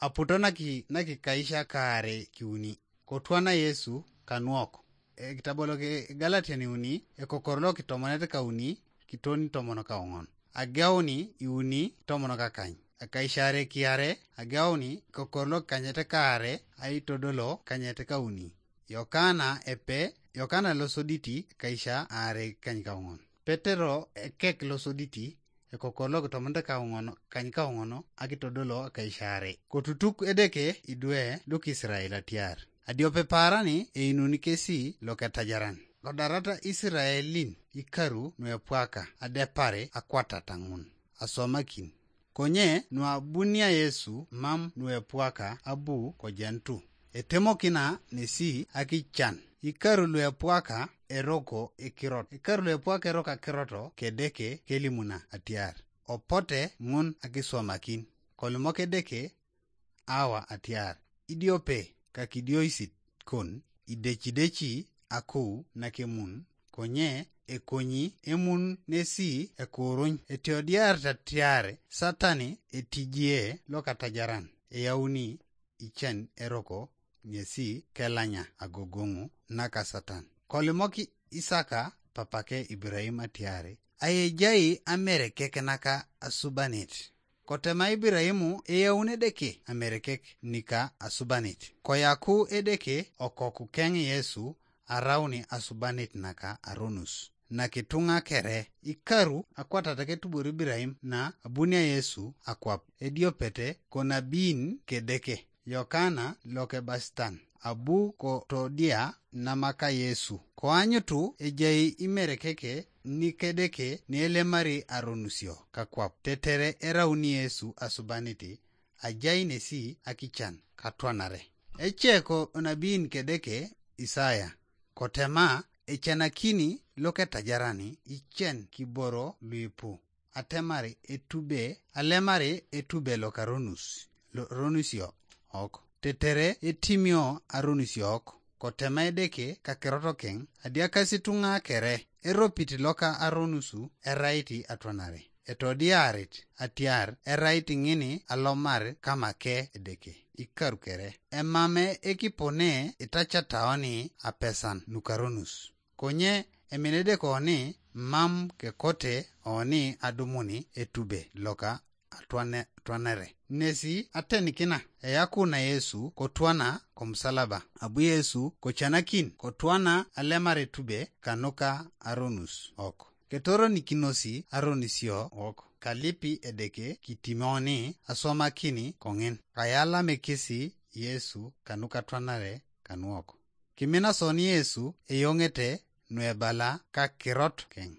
aputo naki kaisha kare kiuni. Kotwana Yesu kanuok. Kitabolo ke Galatia ni uni, kokorlo kitomonete ka uni, kitoni tomono ka ongon. Ageuni iuni tomono ka kany. Kaishare kiare, ageuni kokorlo kanyete kare, ai todolo kanyete ka uni. Yokana losoditi kaisha are kany ka ongon. Petero kek losoditi, kokorlo kitomonete ka ongono, kany ka ongono, akitodolo kaishare. Kotutuk edeke idwe duk Israel atiar. Adiope parani inuni kesi loketajaran. Kodarata Israelin ikaru nuepwaka adepare akwata tangun. Asomakin. Konye nuabunia Yesu mam nuepwaka abu kojentu. Etemo kina nesi akichan. Ikaru nuepwaka eroko ekirot. Ikaru nuepwaka eroka kiroto kedeke kelimuna atiar. Opote ngun akisomakin. Kolmoke deke awa atiar. Idiope kakidioisit kon idechidechi aku nakemun konye ekonyi emun nesi ekurony etiodiar tatiare satani etijie lokatajaran eyauni ichan eroko nyesi kelanya agogongu naka satan kolimoki Isaka papake Ibrahim atiare ayejai amerekek naka asubanit. Kotema Ibrahimu eyaune deke amerekek nika asubanit. Koyaku edeke okoku keng Yesu arauni asubanit naka aronus. Nakitunga kere ikaru akwata take tubur Ibrahim na abunia Yesu akwap. Ediopete konabin kedeke. Yokana loke bastan. Abu ko todia namaka Yesu. Koanyutu ejai imerekeke nikedeke nielemari aronusio kakwap. Tetere erauni Yesu asubaniti ajai nesi akichan katwanare. Echeko onabin kedeke Isaya. Kotema echanakini loke tajarani ichen kiboro luipu. Atemari etube alemari etube lokaronus. Ronusio ok. Tetere etimio arunusio ok. Kotema edeke kakeroto keng adiakasitunga kere. Eropiti loka aronusu eraiti atwanare. Etodiarit atiar eraiti ngini alomar kama ke edeke. Ikaru kere. Emame ekipone itachataoni apesan nukaronus. Konye eminedeko oni mam ke kote oni adumuni etube loka atwanere. Nesi atenikina eyakuna Yesu kotwana komsalaba. Abu Yesu kochanakin kotwana alemare tube kanuka aronus ok. Ketoro nikinosi aronisio ok. Kalipi edeke kitimoni asomakini kongin. Kayala mekisi Yesu kanuka twanare kanuoko. Kimina soni Yesu eyongete nuebala kakirot keng.